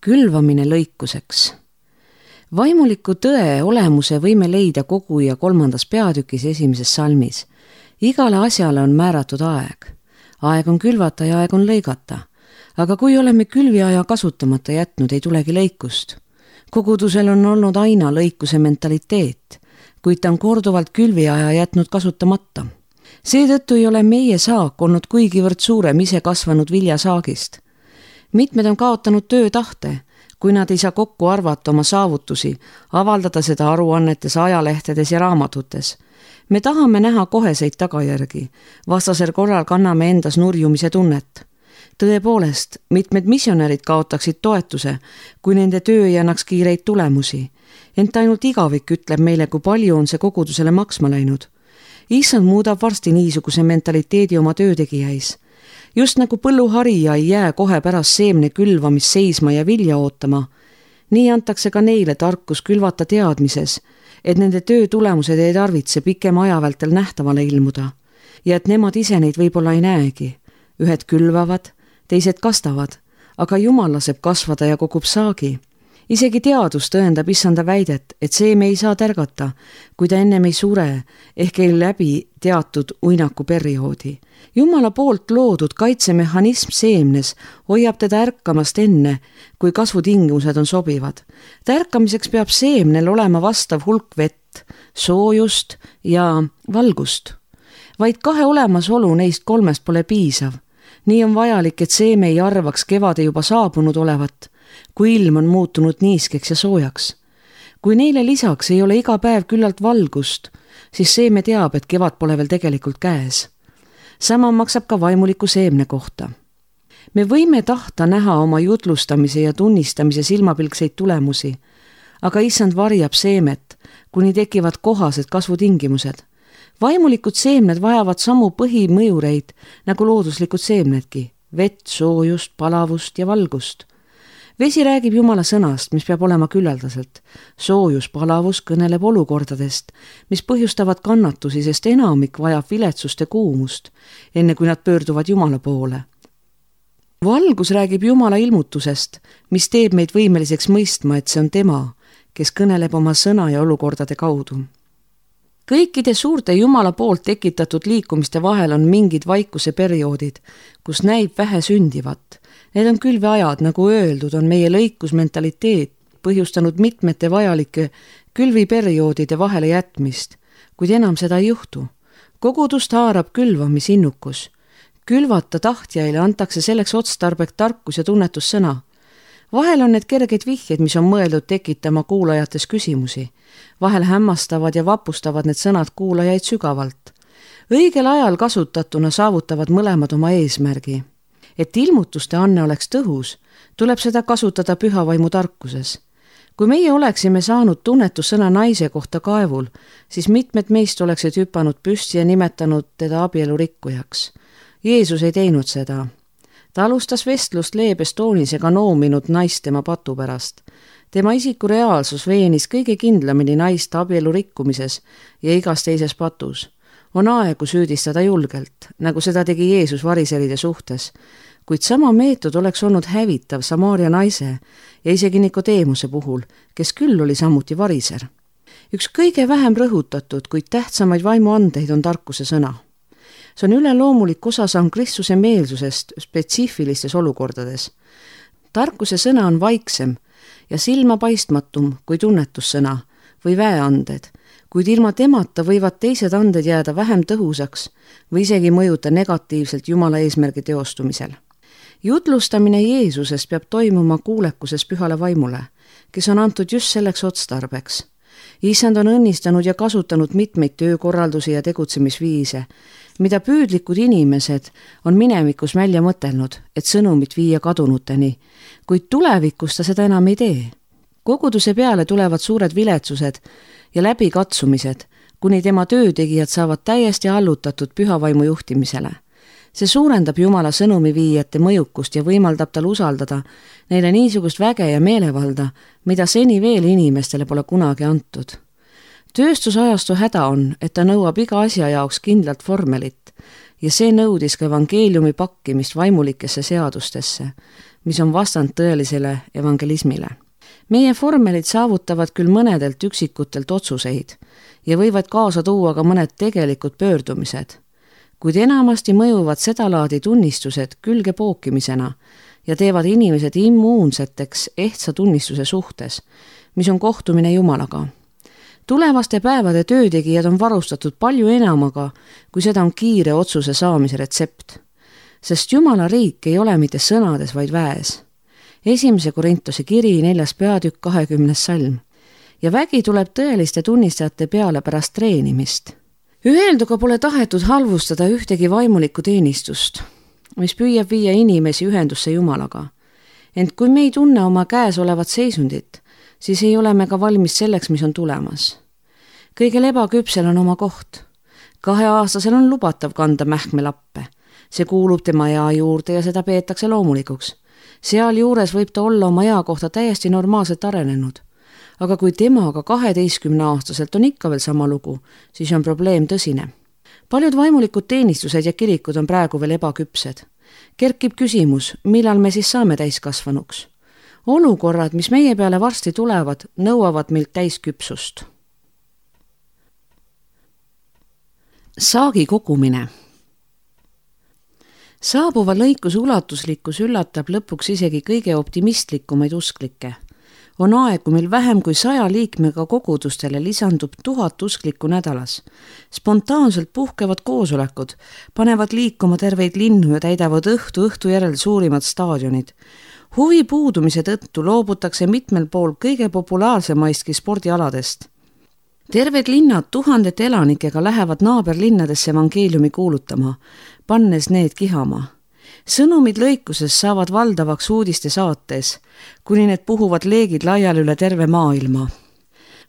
Külvamine lõikuseks. Vaimuliku tõe olemuse võime leida Koguja 3. peatükis 1. salmis. Igale asjale on määratud aeg. Aeg on külvata ja aeg on lõigata. Aga kui oleme külviaja kasutamata jätnud, ei tulegi lõikust. Kogudusel on olnud aina lõikuse mentaliteet, kuid ta on korduvalt külviaja jätnud kasutamata. Seetõttu ei ole meie saak olnud kuigivõrd suurem ise kasvanud viljasaagist. Mitmed on kaotanud töötahte, kui nad ei saa kokku arvata oma saavutusi, avaldada seda aruannetes, ajalehtedes ja raamatutes. Me tahame näha koheseid tagajärgi, vastasel korral kanname endas nurjumise tunnet. Tõepoolest, mitmed missionärid kaotaksid toetuse, kui nende töö ei annaks kiireid tulemusi. Ent ainult igavik ütleb meile, kui palju on see kogudusele maksma läinud. Issand muudab varsti niisuguse mentaliteedi oma töötegijais. Just nagu põlluharija ei jää kohe pärast seemne külvamist seisma ja vilja ootama, nii antakse ka neile tarkus külvata teadmises, et nende töö tulemused ei tarvitse pikema aja vältel nähtavale ilmuda ja et nemad ise neid võib-olla ei näegi. Ühed külvavad, teised kastavad, aga Jumal laseb kasvada ja kogub saagi. Isegi teadus tõendab issanda väidet, et seeme ei saa tärgata, kui ta ennem ei sure ehk ei läbi teatud uinaku perioodi. Jumala poolt loodud kaitsemehhanism seemnes hoiab teda ärkamast enne, kui kasvutingimused on sobivad. Tärkamiseks peab seemnel olema vastav hulk vett, soojust ja valgust. Vaid 2 olemasolu neist 3 pole piisav. Nii on vajalik, et seeme ei arvaks kevade juba saabunud olevat, kui ilm on muutunud niiskeks ja soojaks. Kui neile lisaks ei ole iga päev küllalt valgust, siis seeme teab, et kevad pole veel tegelikult käes. Sama maksab ka vaimuliku seemne kohta. Me võime tahta näha oma jutlustamise ja tunnistamise silmapilkseid tulemusi, aga issand varjab seemet, kuni tekivad kohased kasvutingimused. Vaimulikud seemned vajavad samu põhimõjureid nagu looduslikud seemnedki, vett, soojust, palavust ja valgust. Vesi räägib Jumala sõnast, mis peab olema küllaldaselt. Soojus, palavus kõneleb olukordadest, mis põhjustavad kannatusi, sest enamik vajab viletsust ja kuumust, enne kui nad pöörduvad Jumala poole. Valgus räägib Jumala ilmutusest, mis teeb meid võimeliseks mõistma, et see on tema, kes kõneleb oma sõna ja olukordade kaudu. Kõikide suurte Jumala poolt tekitatud liikumiste vahel on mingid vaikuse perioodid, kus näib vähe sündivat. Need on külveajad, nagu öeldud, on meie lõikusmentaliteet põhjustanud mitmete vajalike külviperioodide vahele jätmist, kuid enam seda ei juhtu. Kogudust haarab külvamisinnukus. Külvata tahtjaile antakse selleks otstarbek tarkus ja tunnetussõna. Vahel on need kerged vihjed, mis on mõeldud tekitama kuulajates küsimusi. Vahel hämmastavad ja vapustavad need sõnad kuulajaid sügavalt. Õigel ajal kasutatuna saavutavad mõlemad oma eesmärgi. Et ilmutuste anne oleks tõhus, tuleb seda kasutada pühavaimu tarkuses. Kui meie oleksime saanud tunnetussõna naise kohta kaevul, siis mitmed meist oleksid hüpanud püsti ja nimetanud teda abielurikkujaks. Jeesus ei teinud seda. Ta alustas vestlust leebes toonis ega noominud naist tema patu pärast. Tema isiku reaalsus veenis kõige kindlamini naist abielu rikkumises ja igas teises patus. On aegu süüdistada julgelt, nagu seda tegi Jeesus variseride suhtes, kuid sama meetod oleks olnud hävitav Samaaria naise ja isegi Nikodeemuse puhul, kes küll oli samuti variser. Üks kõige vähem rõhutatud, kuid tähtsamaid vaimuandeid on tarkuse sõna. See on üleloomulik osasamm Kristuse meelsusest spetsiifilistes olukordades. Tarkuse sõna on vaiksem ja silmapaistmatum kui tunnetussõna või väeanded, kuid ilma temata võivad teised anded jääda vähem tõhusaks või isegi mõjuta negatiivselt Jumala eesmärgi teostumisel. Jutlustamine Jeesusest peab toimuma kuulekuses pühale vaimule, kes on antud just selleks otstarbeks. Issand on õnnistanud ja kasutanud mitmeid töökorraldusi ja tegutsemisviise, mida püüdlikud inimesed on minevikus välja mõtelnud, et sõnumit viia kadunuteni, kuid tulevikus ta seda enam ei tee. Koguduse peale tulevad suured viletsused ja läbikatsumised, kuni tema töötegijad saavad täiesti allutatud pühavaimu juhtimisele. See suurendab Jumala sõnumi viijate mõjukust ja võimaldab tal usaldada neile niisugust väge ja meelevalda, mida seni veel inimestele pole kunagi antud. Tööstusajastu häda on, et ta nõuab iga asja jaoks kindlalt vormelit ja see nõudis ka evangeeliumi pakkimist vaimulikesse seadustesse, mis on vastand tõelisele evangelismile. Meie formelid saavutavad küll mõnedelt üksikutelt otsuseid ja võivad kaasa tuua ka mõned tegelikud pöördumised, kuid enamasti mõjuvad sedalaadi tunnistused külgepookimisena ja teevad inimesed immuunseteks ehtsa tunnistuse suhtes, mis on kohtumine Jumalaga. Tulevaste päevade töötegijad on varustatud palju enamaga, kui seda on kiire otsuse saamise retsept. Sest Jumala riik ei ole mitte sõnades, vaid väes. 1. Korintuse kiri 4. peatükk 20. salm. Ja vägi tuleb tõeliste tunnistajate peale pärast treenimist. Öelduga pole tahetud halvustada ühtegi vaimulikku teenistust, mis püüab viia inimesi ühendusse Jumalaga. Ent kui me ei tunne oma käes olevat seisundit, siis ei ole me ka valmis selleks, mis on tulemas. Kõigel ebaküpsel on oma koht. 2-aastasel on lubatav kanda mähkmelappe. See kuulub tema ea juurde ja seda peetakse loomulikuks. Seal juures võib ta olla oma ea kohta täiesti normaalselt arenenud. Aga kui temaga 12-aastaselt on ikka veel sama lugu, siis on probleem tõsine. Paljud vaimulikud teenistused ja kirikud on praegu veel ebaküpsed. Kerkib küsimus, millal me siis saame täiskasvanuks. Olukorrad, mis meie peale varsti tulevad, nõuavad meilt täisküpsust. Saagi kogumine. Saabuva lõikuse ulatuslikkus üllatab lõpuks isegi kõige optimistlikumaid usklikke. On aegu, mil vähem kui 100 liikmega kogudustele lisandub 1000 usklikku nädalas. Spontaanselt puhkevad koosolekud, panevad liikuma terveid linnu ja täidavad õhtu järel suurimad staadionid. Huvi puudumise tõttu loobutakse mitmel pool kõige populaarsemaistki spordialadest. Terved linnad 1000 elanikega lähevad naaberlinnadesse evangeeliumi kuulutama, pannes need kihama. Sõnumid lõikuses saavad valdavaks uudiste saates, kuni need puhuvad leegid laiali üle terve maailma.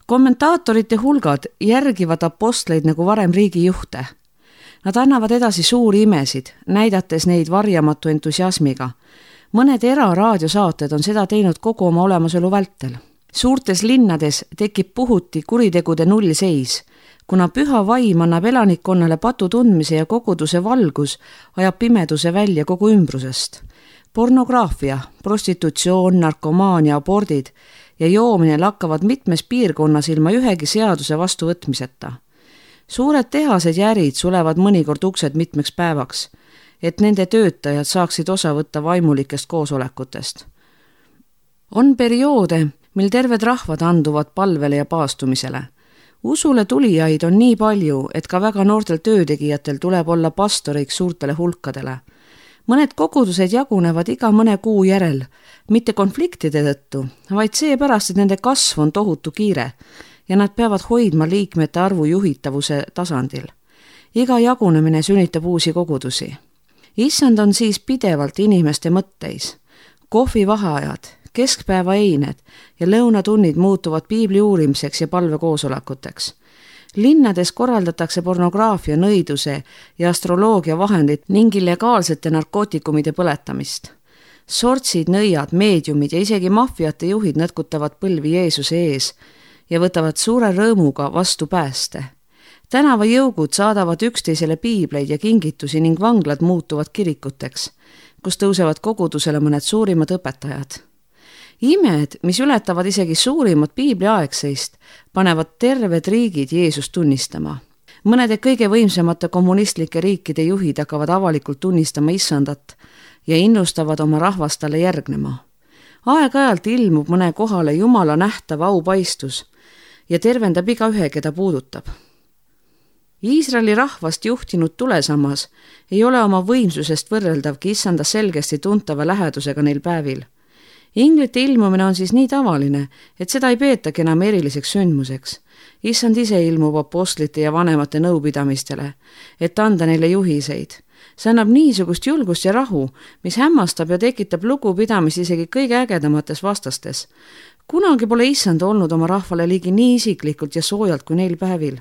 Kommentaatorite hulgad järgivad apostleid nagu varem riigijuhte. Nad annavad edasi suuri imesid, näidates neid varjamatu entusiasmiga. Mõned eraraadiosaated on seda teinud kogu oma olemasolu vältel. Suurtes linnades tekib puhuti kuritegude nullseis, kuna püha vaim annab elanikkonnale patu tundmise ja koguduse valgus ajab pimeduse välja kogu ümbrusest. Pornograafia, prostitutsioon, narkomaania, abordid ja joomine lakkavad mitmes piirkonnas ilma ühegi seaduse vastuvõtmiseta. Suured tehased ja ärid sulevad mõnikord uksed mitmeks päevaks, et nende töötajad saaksid osa võtta vaimulikest koosolekutest. On perioode, mil terved rahvad anduvad palvele ja paastumisele. Usule tulijaid on nii palju, et ka väga noortel töötegijatel tuleb olla pastoriks suurtele hulkadele. Mõned kogudused jagunevad iga mõne kuu järel, mitte konfliktide tõttu, vaid seepärast, et nende kasv on tohutu kiire ja nad peavad hoidma liikmete arvu juhitavuse tasandil. Iga jagunemine sünnitab uusi kogudusi. Issand on siis pidevalt inimeste mõtteis. Kohvivaheajad, keskpäeva eined ja lõunatunnid muutuvad piibli uurimiseks ja palvekoosolekuteks. Linnades korraldatakse pornograafia, nõiduse ja astroloogia vahendid ning illegaalsete narkootikumide põletamist. Sortsid, nõiad, meediumid ja isegi maffiate juhid nõtkutavad põlvi Jeesuse ees ja võtavad suure rõõmuga vastu pääste. Tänavajõugud saadavad üksteisele piibleid ja kingitusi ning vanglad muutuvad kirikuteks, kus tõusevad kogudusele mõned suurimad õpetajad. Imed, mis ületavad isegi suurimat piibliaegseist, panevad terved riigid Jeesust tunnistama. Mõnede kõige võimsamate kommunistlike riikide juhid hakkavad avalikult tunnistama Issandat ja innustavad oma rahvast talle järgnema. Aeg-ajalt ilmub mõne kohale Jumala nähtav aupaistus ja tervendab igaühe, keda puudutab. Iisraeli rahvast juhtinud tulesammas ei ole oma võimsusest võrreldavki Issanda selgesti tuntava lähedusega neil päevil. Inglite ilmumine on siis nii tavaline, et seda ei peetagi enam eriliseks sündmuseks. Issand ise ilmub apostlite ja vanemate nõupidamistele, et anda neile juhiseid. See annab niisugust julgust ja rahu, mis hämmastab ja tekitab lugupidamist isegi kõige ägedamates vastastes. Kunagi pole Issand olnud oma rahvale ligi nii isiklikult ja soojalt kui neil päevil.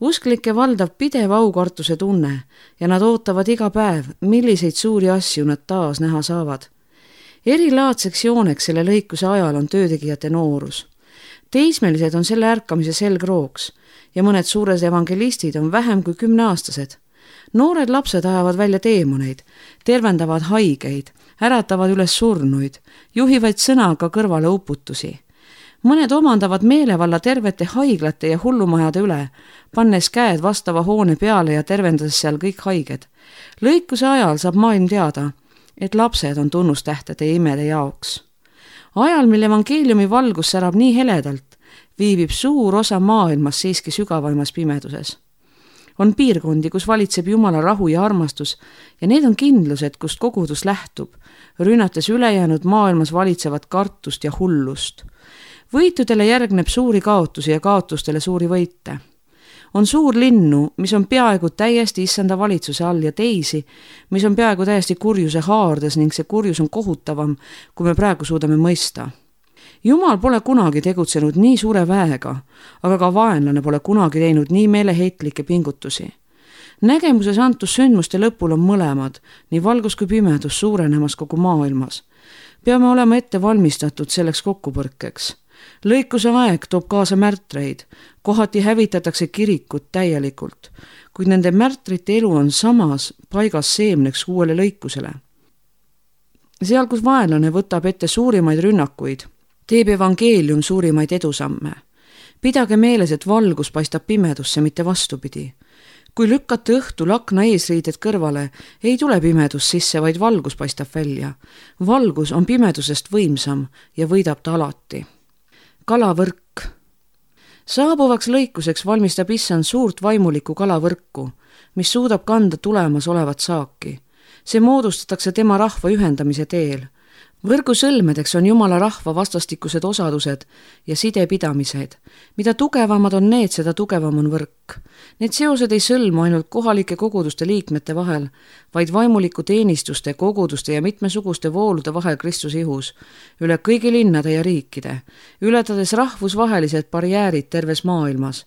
Usklike valdab pidev aukartuse tunne ja nad ootavad iga päev, milliseid suuri asju nad taas näha saavad. Erilaadseks jooneks selle lõikuse ajal on töötegijate noorus. Teismelised on selle ärkamise selgrooks ja mõned suured evangelistid on vähem kui 10-aastased. Noored lapsed ajavad välja teemoneid, tervendavad haigeid, äratavad üles surnuid, juhivad sõnaga kõrvale uputusi. Mõned omandavad meelevalla tervete haiglate ja hullumajade üle, pannes käed vastava hoone peale ja tervendades seal kõik haiged. Lõikuse ajal saab maailm teada, et lapsed on tunnustähtede ja imede jaoks. Ajal, mil evangeeliumi valgus särab nii heledalt, viibib suur osa maailmas siiski sügavaimas pimeduses. On piirkondi, kus valitseb Jumala rahu ja armastus ja need on kindlused, kust kogudus lähtub, rünnates ülejäänud maailmas valitsevat kartust ja hullust. Võitudele järgneb suuri kaotusi ja kaotustele suuri võite. On suur linnu, mis on peaaegu täiesti issanda valitsuse all ja teisi, mis on peaaegu täiesti kurjuse haardes ning see kurjus on kohutavam, kui me praegu suudame mõista. Jumal pole kunagi tegutsenud nii suure väega, aga ka vaenlane pole kunagi teinud nii meeleheitlikke pingutusi. Nägemuses antus sündmuste lõpul on mõlemad, nii valgus kui pimedus suurenemas kogu maailmas. Peame olema ette valmistatud selleks kokkupõrkeks. Lõikuse aeg toob kaasa märtreid, kohati hävitatakse kirikut täielikult, kuid nende märtrite elu on samas paigas seemneks uuele lõikusele. Seal, kus vaenlane võtab ette suurimaid rünnakuid, teeb evangeelium suurimaid edusamme. Pidage meeles, et valgus paistab pimedusse, mitte vastupidi. Kui lükkate õhtul akna eesriided kõrvale, ei tule pimedus sisse, vaid valgus paistab välja. Valgus on pimedusest võimsam ja võidab ta alati. Kalavõrk. Saabuvaks lõikuseks valmistab issand suurt vaimulikku kalavõrku, mis suudab kanda tulemas olevat saaki. See moodustatakse tema rahva ühendamise teel. Võrgu sõlmedeks on Jumala rahva vastastikused osadused ja sidepidamised. Mida tugevamad on need, seda tugevam on võrk. Need seosed ei sõlmu ainult kohalike koguduste liikmete vahel, vaid vaimuliku teenistuste, koguduste ja mitmesuguste voolude vahel Kristuse ihus, üle kõigi linnade ja riikide, ületades rahvusvahelised barjäärid terves maailmas.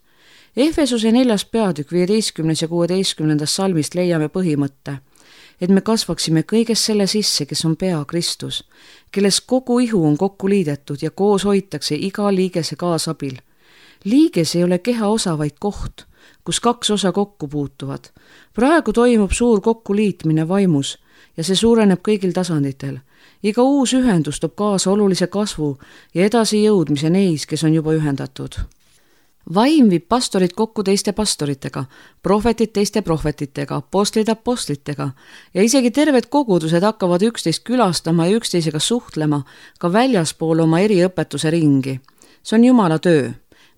Efesuse 4. peatükk 15. ja 16. salmist leiame põhimõtte, et me kasvaksime kõiges selle sisse, kes on pea Kristus, kelles kogu ihu on kokku liidetud ja koos hoitakse iga liigese kaasabil. Liiges ei ole keha osa, vaid koht, kus kaks osa kokku puutuvad. Praegu toimub suur kokkuliitmine vaimus ja see suureneb kõigil tasanditel. Iga uus ühendus toob kaasa olulise kasvu ja edasi jõudmise neis, kes on juba ühendatud. Vaim viib pastorid kokku teiste pastoritega, prohvetid teiste prohvetitega, apostlitega ja isegi terved kogudused hakkavad üksteist külastama ja üksteisega suhtlema ka väljaspool oma eriõpetuse ringi. See on Jumala töö.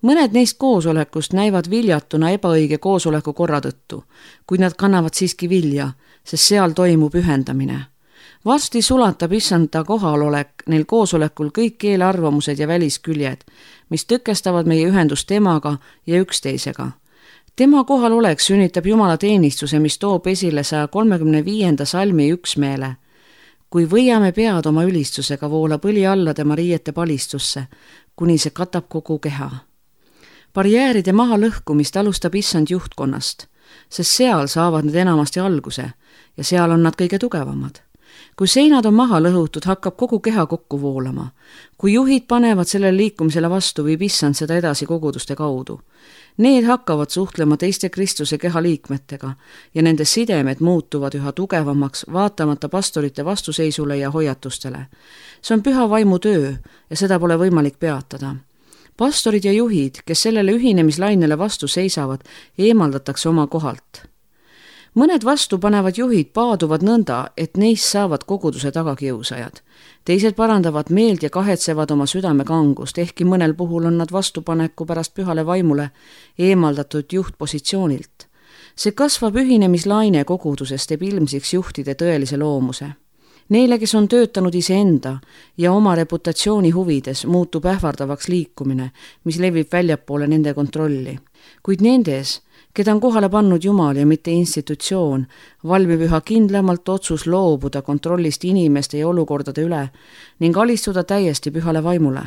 Mõned neist koosolekust näivad viljatuna ebaõige koosoleku korra tõttu, kuid nad kannavad siiski vilja, sest seal toimub ühendamine. Varsti sulatab issanda kohalolek neil koosolekul kõik keelearvamused ja välisküljed, mis tõkestavad meie ühendust temaga ja üksteisega. Tema kohalolek sünnitab Jumala teenistuse, mis toob esile 135. salmi üksmeele. Kui võiame pead oma ülistusega, voolab õli alla tema riiete palistusse, kuni see katab kogu keha. Barjääride maha lõhkumist alustab issand juhtkonnast, sest seal saavad need enamasti alguse ja seal on nad kõige tugevamad. Kui seinad on maha lõhutud, hakkab kogu keha kokku voolama. Kui juhid panevad sellele liikumisele vastu, viib issand seda edasi koguduste kaudu. Need hakkavad suhtlema teiste Kristuse keha liikmetega ja nende sidemed muutuvad üha tugevamaks, vaatamata pastorite vastuseisule ja hoiatustele. See on püha vaimu töö ja seda pole võimalik peatada. Pastorid ja juhid, kes sellele ühinemislainele vastu seisavad, eemaldatakse oma kohalt. Mõned vastupanevad juhid paaduvad nõnda, et neist saavad koguduse tagakiusajad. Teised parandavad meelt ja kahetsevad oma südame kangust, ehkki mõnel puhul on nad vastupaneku pärast pühale vaimule eemaldatud juhtpositsioonilt. See kasvav ühinemislaine koguduses teeb ilmsiks juhtide tõelise loomuse. Neile, kes on töötanud iseenda ja oma reputatsiooni huvides, muutub ähvardavaks liikumine, mis levib väljapoole nende kontrolli. Kuid nendes, keda on kohale pannud Jumal ja mitte institutsioon, valmib üha kindlamalt otsus loobuda kontrollist inimeste ja olukordade üle ning alistuda täiesti pühale vaimule.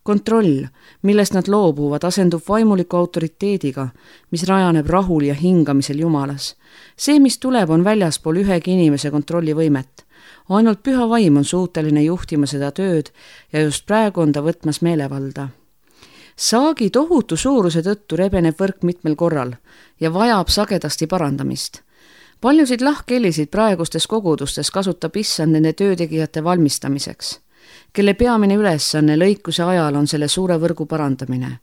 Kontroll, millest nad loobuvad, asendub vaimuliku autoriteediga, mis rajaneb rahul ja hingamisel Jumalas. See, mis tuleb, on väljaspool ühegi inimese kontrollivõimet. Ainult püha vaim on suuteline juhtima seda tööd ja just praegu on ta võtmas meelevalda. Saagi tohutu suuruse tõttu rebeneb võrk mitmel korral ja vajab sagedasti parandamist. Paljusid lahkhelisid praegustes kogudustes kasutab issand nende töötegijate valmistamiseks, kelle peamine ülesanne lõikuse ajal on selle suure võrgu parandamine.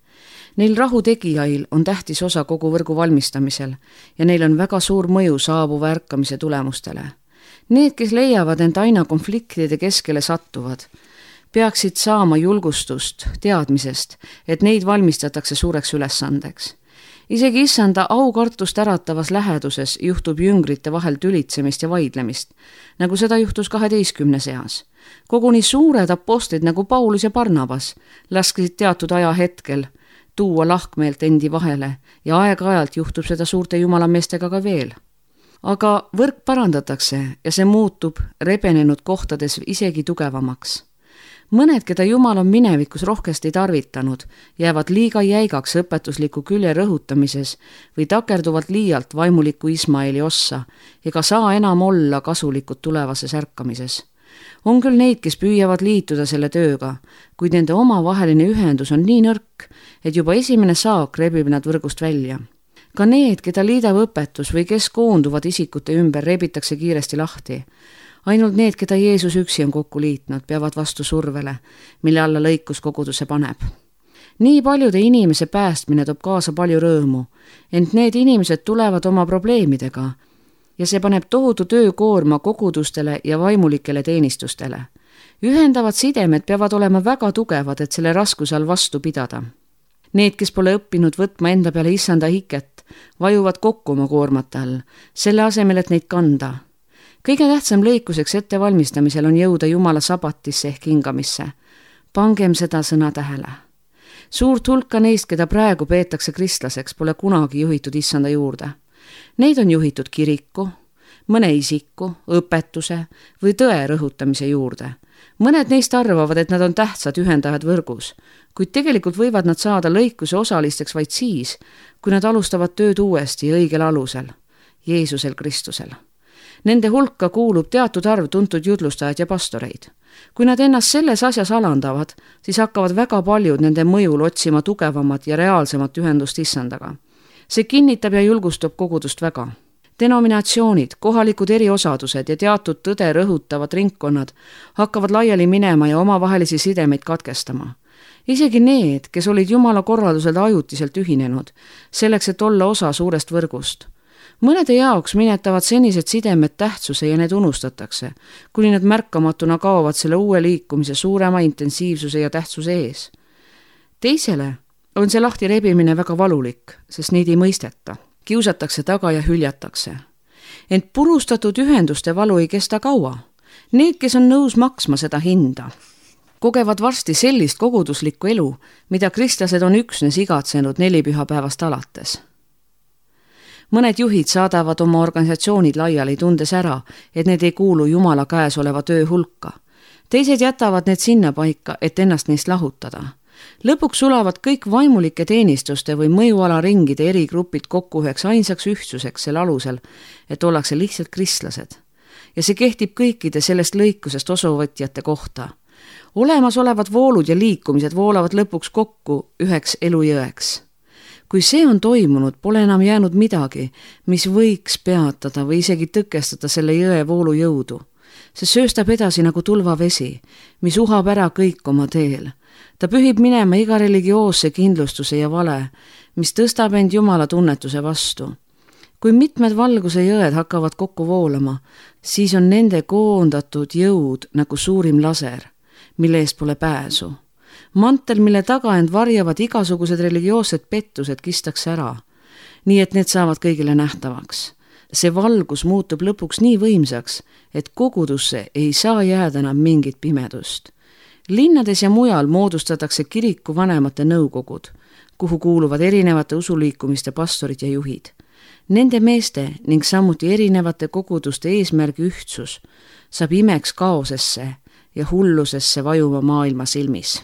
Neil rahutegijail on tähtis osa kogu võrgu valmistamisel ja neil on väga suur mõju saabuva ärkamise tulemustele. Need, kes leiavad end aina konfliktide keskele sattuvad, peaksid saama julgustust teadmisest, et neid valmistatakse suureks ülesandeks. Isegi issanda aukartust äratavas läheduses juhtub jüngrite vahel tülitsemist ja vaidlemist, nagu seda juhtus 12 seas. Koguni suured apostlid nagu Paulus ja Barnabas laskisid teatud ajahetkel tuua lahkmeelt endi vahele ja aeg-ajalt juhtub seda suurte jumalameestega ka veel. Aga võrk parandatakse ja see muutub rebenenud kohtades isegi tugevamaks. Mõned, keda Jumal on minevikus rohkesti tarvitanud, jäävad liiga jäigaks õpetusliku külje rõhutamises või takerduvad liialt vaimuliku Ismaeli ossa ega saa enam olla kasulikud tulevases ärkamises. On küll neid, kes püüavad liituda selle tööga, kuid nende omavaheline ühendus on nii nõrk, et juba esimene saak rebib nad võrgust välja. Ka need, keda liidab õpetus või kes koonduvad isikute ümber, rebitakse kiiresti lahti. Ainult need, keda Jeesus üksi on kokku liitnud, peavad vastu survele, mille alla lõikus koguduse paneb. Nii paljude inimese päästmine toob kaasa palju rõõmu, ent need inimesed tulevad oma probleemidega ja see paneb tohutu töökoorma kogudustele ja vaimulikele teenistustele. Ühendavad sidemed peavad olema väga tugevad, et selle raskuse all vastu pidada. Need, kes pole õppinud võtma enda peale issanda hiket, vajuvad kokku oma koormate all, selle asemel, et neid kanda. Kõige tähtsam lõikuseks ettevalmistamisel on jõuda Jumala sabatisse ehk hingamisse. Pangem seda sõna tähele. Suurt hulka neist, keda praegu peetakse kristlaseks, pole kunagi juhitud issanda juurde. Neid on juhitud kiriku, mõne isiku, õpetuse või tõe rõhutamise juurde. Mõned neist arvavad, et nad on tähtsad ühendajad võrgus, kuid tegelikult võivad nad saada lõikuse osalisteks vaid siis, kui nad alustavad tööd uuesti õigel alusel, Jeesusel Kristusel. Nende hulka kuulub teatud arv tuntud jutlustajad ja pastoreid. Kui nad ennast selles asjas alandavad, siis hakkavad väga paljud nende mõjul otsima tugevamat ja reaalsemat ühendust issandaga. See kinnitab ja julgustab kogudust väga. Denominatsioonid, kohalikud eriosadused ja teatud tõde rõhutavad ringkonnad hakkavad laiali minema ja omavahelisi sidemeid katkestama. Isegi need, kes olid Jumala korraldusel ajutiselt ühinenud, selleks, et olla osa suurest võrgust. Mõnede jaoks minetavad senised sidemed tähtsuse ja need unustatakse, kuni nad märkamatuna kaovad selle uue liikumise suurema intensiivsuse ja tähtsuse ees. Teisele on see lahti rebimine väga valulik, sest neid ei mõisteta. Kiusatakse taga ja hüljatakse. Ent purustatud ühenduste valu ei kesta kaua. Need, kes on nõus maksma seda hinda, kogevad varsti sellist koguduslikku elu, mida kristlased on üksnes igatsenud 4 pühapäevast alates. Mõned juhid saadavad oma organisatsioonid laiali, tundes ära, et need ei kuulu Jumala käes oleva töö hulka. Teised jätavad need sinna paika, et ennast neist lahutada. Lõpuks sulavad kõik vaimulike teenistuste või mõjualaringide erigrupid kokku üheks ainsaks ühtsuseks selle alusel, et ollakse lihtsalt kristlased. Ja see kehtib kõikide sellest lõikusest osavõtjate kohta. Olemasolevad voolud ja liikumised voolavad lõpuks kokku üheks elujõeks. Kui see on toimunud, pole enam jäänud midagi, mis võiks peatada või isegi tõkestada selle jõe voolu jõudu. See sööstab edasi nagu tulvavesi, mis uhab ära kõik oma teel. Ta pühib minema iga religioosse kindlustuse ja vale, mis tõstab end Jumala tunnetuse vastu. Kui mitmed valguse jõed hakkavad kokku voolama, siis on nende koondatud jõud nagu suurim laser, mille eest pole pääsu. Mantel, mille taga end varjavad igasugused religioossed pettused, kistakse ära, nii et need saavad kõigile nähtavaks. See valgus muutub lõpuks nii võimsaks, et kogudusse ei saa jääda enam mingit pimedust. Linnades ja mujal moodustatakse kiriku vanemate nõukogud, kuhu kuuluvad erinevate usuliikumiste pastorid ja juhid. Nende meeste ning samuti erinevate koguduste eesmärgi ühtsus saab imeks kaosesse ja hullusesse vajuma maailma silmis.